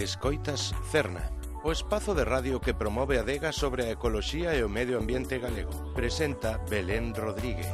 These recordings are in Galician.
Escoitas Cerna, o espazo de radio que promove a adega sobre a ecoloxía e o medio ambiente galego. Presenta Belén Rodríguez.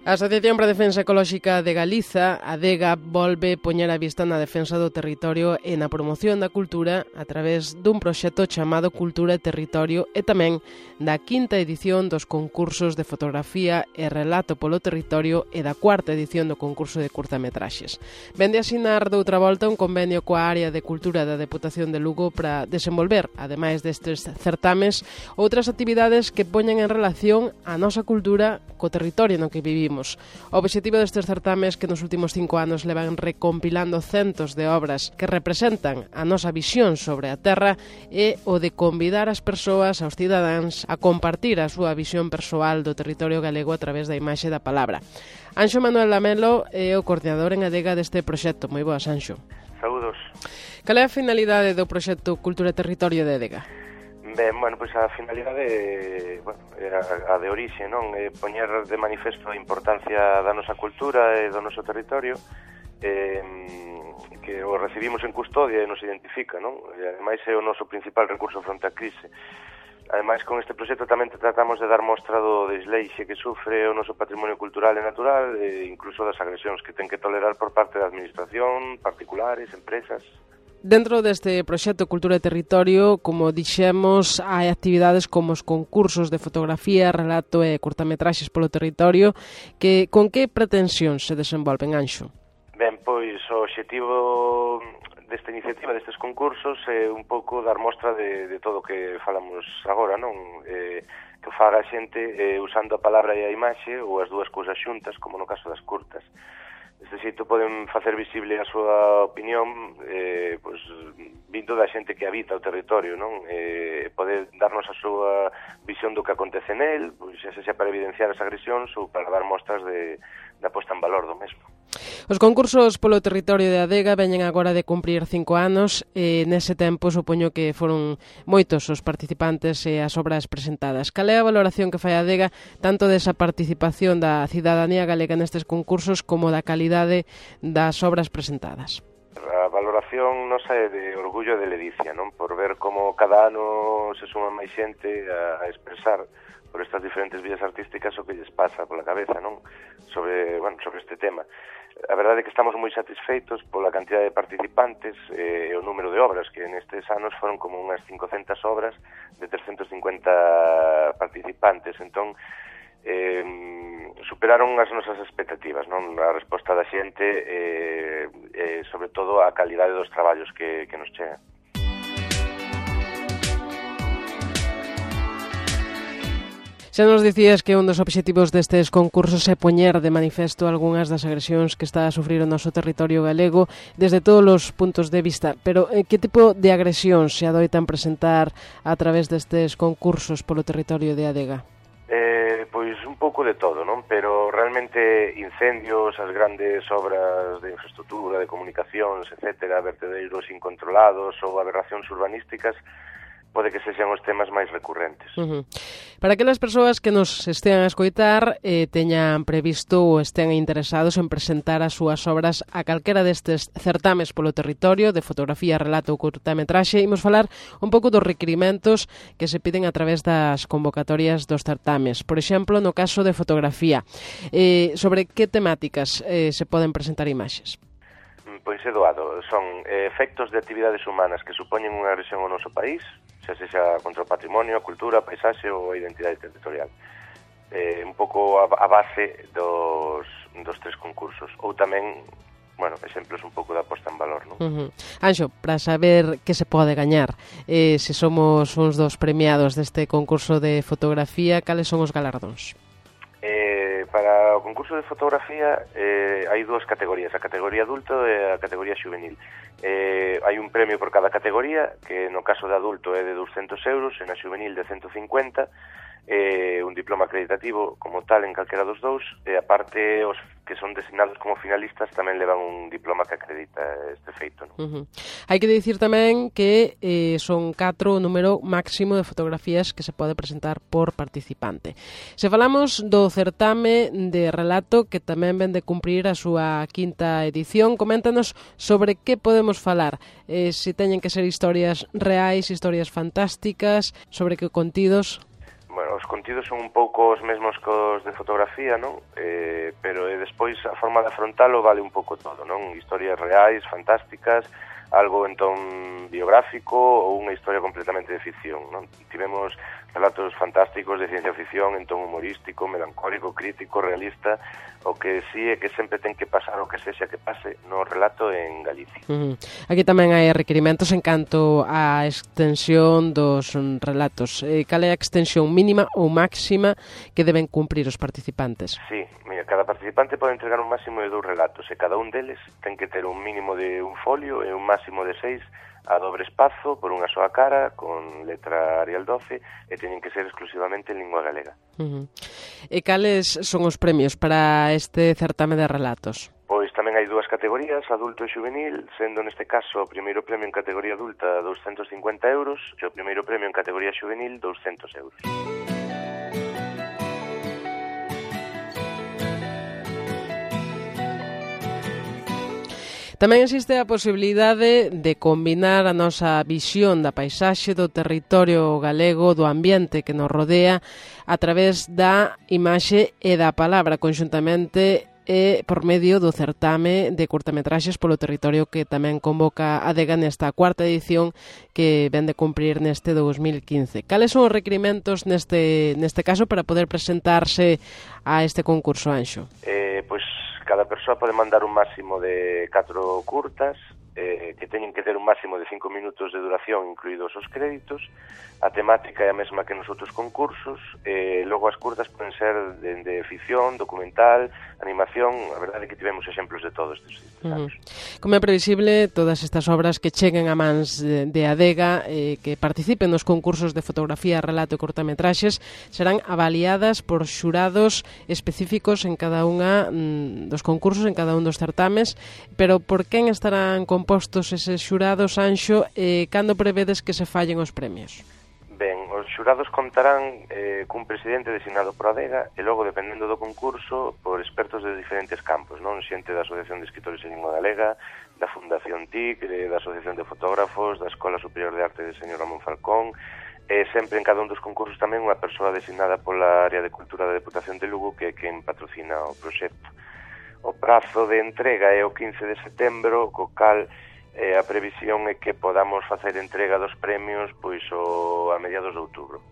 A Asociación para a Defensa Ecolóxica de Galiza, ADEGA, volve poñer a vista na defensa do territorio e na promoción da cultura a través dun proxecto chamado Cultura e Territorio e tamén da quinta edición dos concursos de fotografía e relato polo territorio e da cuarta edición do concurso de curtametraxes. Vende a asinar doutra volta un convenio coa área de cultura da Deputación de Lugo para desenvolver, ademais destes certames, outras actividades que poñen en relación a nosa cultura co territorio no que vivimos. O obxectivo destes certames que nos últimos 5 anos levan recompilando centos de obras que representan a nosa visión sobre a terra é o de convidar as persoas, aos cidadáns, a compartir a súa visión persoal do territorio galego a través da imaxe da palabra. Anxo Manuel Lamelo é o coordinador en ADEGA deste proxecto. Moi boas, Anxo. Saúdos. Cal é a finalidade do proxecto Cultura e Territorio de ADEGA? Ben, pois a finalidade era a de orixe, non? Poñer de manifesto a importancia da nosa cultura e do noso territorio que o recibimos en custodia e nos identifica, non? E ademais é o noso principal recurso fronte á crise. Ademais, con este proxecto tamén tratamos de dar mostra do desleixe que sufre o noso patrimonio cultural e natural e incluso das agresións que ten que tolerar por parte da administración, particulares, empresas. Dentro deste proxecto Cultura e Territorio, como dixemos, hai actividades como os concursos de fotografía, relato e curtametraxes polo territorio, que con que pretensións se desenvolven, Anxo? Ben, pois o obxectivo desta iniciativa, destes concursos, é un pouco dar mostra de todo o que falamos agora, non? Que faga a xente usando a palabra e a imaxe, ou as dúas cousas xuntas, como no caso das curtas. Deste xeito poden facer visible a súa opinión pois, vindo da xente que habita o territorio, non? Poder darnos a súa visión do que acontece nel, pois, xa sexa para evidenciar as agresións ou para dar mostras da posta en valor do mesmo. Os concursos polo territorio de ADEGA veñen agora de cumprir 5 anos e nese tempo supoño que foron moitos os participantes e as obras presentadas. Cal é a valoración que fai a ADEGA tanto desa participación da cidadanía galega nestes concursos como da calidade das obras presentadas? A valoración nosa é de orgullo e de ledicia, non? Por ver como cada ano se suma máis xente a expresar por estas diferentes vías artísticas o que lles pasa pola cabeza, non? Sobre este tema. A verdade é que estamos moi satisfeitos pola cantidad de participantes e o número de obras, que nestes anos foron como unhas 500 obras de 350 participantes. Entón, superaron as nosas expectativas, non? A resposta da xente e sobre todo a calidade dos traballos que nos chegan. Xa nos dicías que un dos obxectivos destes concursos é poñer de manifesto algunhas das agresións que está a sufrir o noso territorio galego desde todos os puntos de vista, pero que tipo de agresións se adoitan presentar a través destes concursos polo territorio de ADEGA? Pois un pouco de todo, non? Pero realmente incendios, as grandes obras de infraestructura, de comunicacións, etcétera, vertedeiros incontrolados ou aberracións urbanísticas pode que sexan os temas máis recurrentes. Para aquelas persoas que nos estean a escoitar teñan previsto ou estean interesados en presentar as súas obras a calquera destes certames polo territorio de fotografía, relato ou curtametraxe, imos falar un pouco dos requirimentos que se piden a través das convocatorias dos certames. Por exemplo, no caso de fotografía, sobre que temáticas se poden presentar imaxes? Pois é doado. Son efectos de actividades humanas que supoñen unha agresión ao noso país, xa sexa contra o patrimonio, a cultura, a paisaxe ou a identidade territorial. Un pouco a base dos tres concursos. Ou tamén, exemplos un pouco da posta en valor, non? Anxo, para saber que se pode gañar, se somos uns dos premiados deste concurso de fotografía, cales son os galardóns? Para o concurso de fotografía hai dúas categorías, a categoría adulto e a categoría xuvenil. Hai un premio por cada categoría, que no caso de adulto é de 200 euros e na xuvenil de 150, un diploma acreditativo como tal en calquera dos dous, e aparte os que son designados como finalistas tamén levan un diploma que acredita este feito, non? Hai que dicir tamén que son 4 o número máximo de fotografías que se pode presentar por participante. Se falamos do certame de relato que tamén ven de cumprir a súa quinta edición, coméntanos sobre que podemos falar, se teñen que ser historias reais, historias fantásticas, sobre que contidos. Bueno, os contidos son un pouco os mesmos que os de fotografía, non? Pero despois a forma de afrontalo vale un pouco todo, non? Historias reais, fantásticas, algo entón biográfico ou unha historia completamente de ficción, non? Tivemos relatos fantásticos de ciencia ficción, entón humorístico, melancólico, crítico, realista. O que sí é que sempre ten que pasar o que sexa que pase no relato en Galicia. Aquí tamén hai requerimentos en canto á extensión dos relatos. Cal é a extensión mínima ou máxima que deben cumprir os participantes? Sí, mira, cada participante pode entregar un máximo de 2 relatos e cada un deles ten que ter un mínimo de un folio e un máximo de 6 a dobre espazo, por unha soa cara, con letra Arial 12, e teñen que ser exclusivamente en lingua galega. E cales son os premios para este certame de relatos? Pois tamén hai 2 categorías, adulto e juvenil, sendo neste caso o primeiro premio en categoría adulta 250 euros e o primeiro premio en categoría juvenil 200 euros. Tamén existe a posibilidade de combinar a nosa visión da paisaxe, do territorio galego, do ambiente que nos rodea, a través da imaxe e da palabra, conxuntamente e por medio do certame de curtametraxes polo territorio que tamén convoca a ADEGA nesta cuarta edición que ven de cumprir neste 2015. Cales son os requerimentos neste caso para poder presentarse a este concurso, Anxo? Pois cada persoa pode mandar un máximo de 4 curtas que teñen que ter un máximo de 5 minutos de duración, incluídos os créditos. A temática é a mesma que nos outros concursos, logo as curtas poden ser de ficción, documental, animación. A verdade é que tivemos exemplos de todos estes anos. Como é previsible, todas estas obras que cheguen a mans de ADEGA, que participen nos concursos de fotografía, relato e cortametraxes, serán avaliadas por xurados específicos en cada unha dos concursos, en cada un dos certames. Pero por quen estarán compostos eses xurados, Anxo, e cando prevedes que se fallen os premios? Ben, os xurados contarán cun presidente designado por ADEGA e logo, dependendo do concurso, por expertos de diferentes campos, non? Xente da Asociación de Escritores en Lingua Galega, da Fundación TIC, da Asociación de Fotógrafos, da Escola Superior de Arte de Señor Ramón Falcón, e sempre en cada un dos concursos tamén unha persoa designada pola área de cultura da Deputación de Lugo, que é quen patrocina o proxecto. O prazo de entrega é o 15 de setembro, co cal a previsión é que podamos facer entrega dos premios pois a mediados de outubro.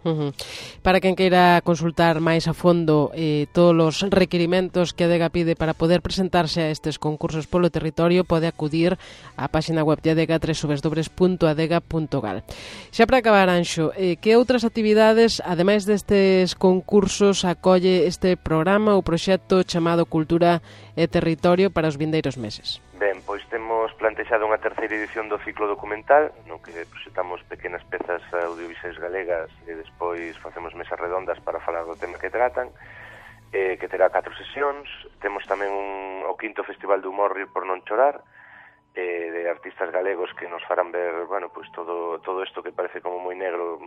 Para quen queira consultar máis a fondo todos os requerimentos que a ADEGA pide para poder presentarse a estes concursos polo territorio, pode acudir á página web de ADEGA, www.adega.gal. Xa para acabar, Anxo, que outras actividades, ademais destes concursos, acolle este programa ou proxecto chamado Cultura e Territorio para os vindeiros meses? Ben, pois temos plantexado unha terceira edición do ciclo documental, no que proxectamos pequenas pezas audiovisuais galegas e despois facemos mesas redondas para falar do tema que tratan, que terá 4 sesións. Temos tamén o quinto Festival de Humor Rir por non chorar, de artistas galegos que nos farán ver, bueno, pois todo isto que parece como moi negro,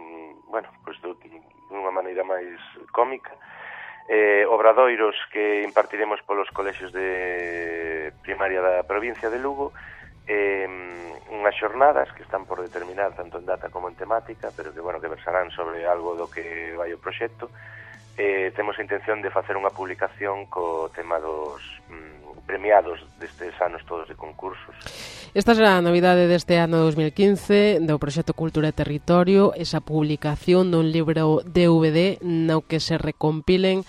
bueno, pois dunha maneira máis cómica. Obradoiros que impartiremos polos colexios de primaria da provincia de Lugo, unhas xornadas que están por determinar tanto en data como en temática, pero que, bueno, que versarán sobre algo do que vai o proxecto. Temos a intención de facer unha publicación co tema dos premiados destes anos todos de concursos. Esta será a novidade deste ano 2015 do proxecto Cultura e Territorio, esa publicación dun libro DVD no que se recompilen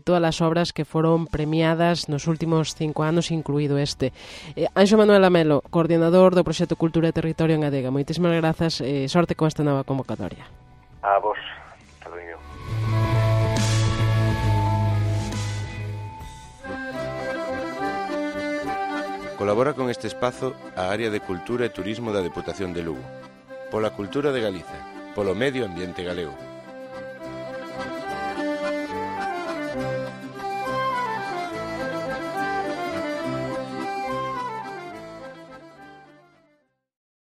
todas as obras que foron premiadas nos últimos 5 anos, incluído este. Anxo Manuel Amelo, coordinador do proxecto Cultura e Territorio en ADEGA, moitísimas grazas e sorte con esta nova convocatoria. A vos, Carolina. Colabora con este espazo a Área de Cultura e Turismo da Deputación de Lugo. Pola cultura de Galiza, polo medio ambiente galego.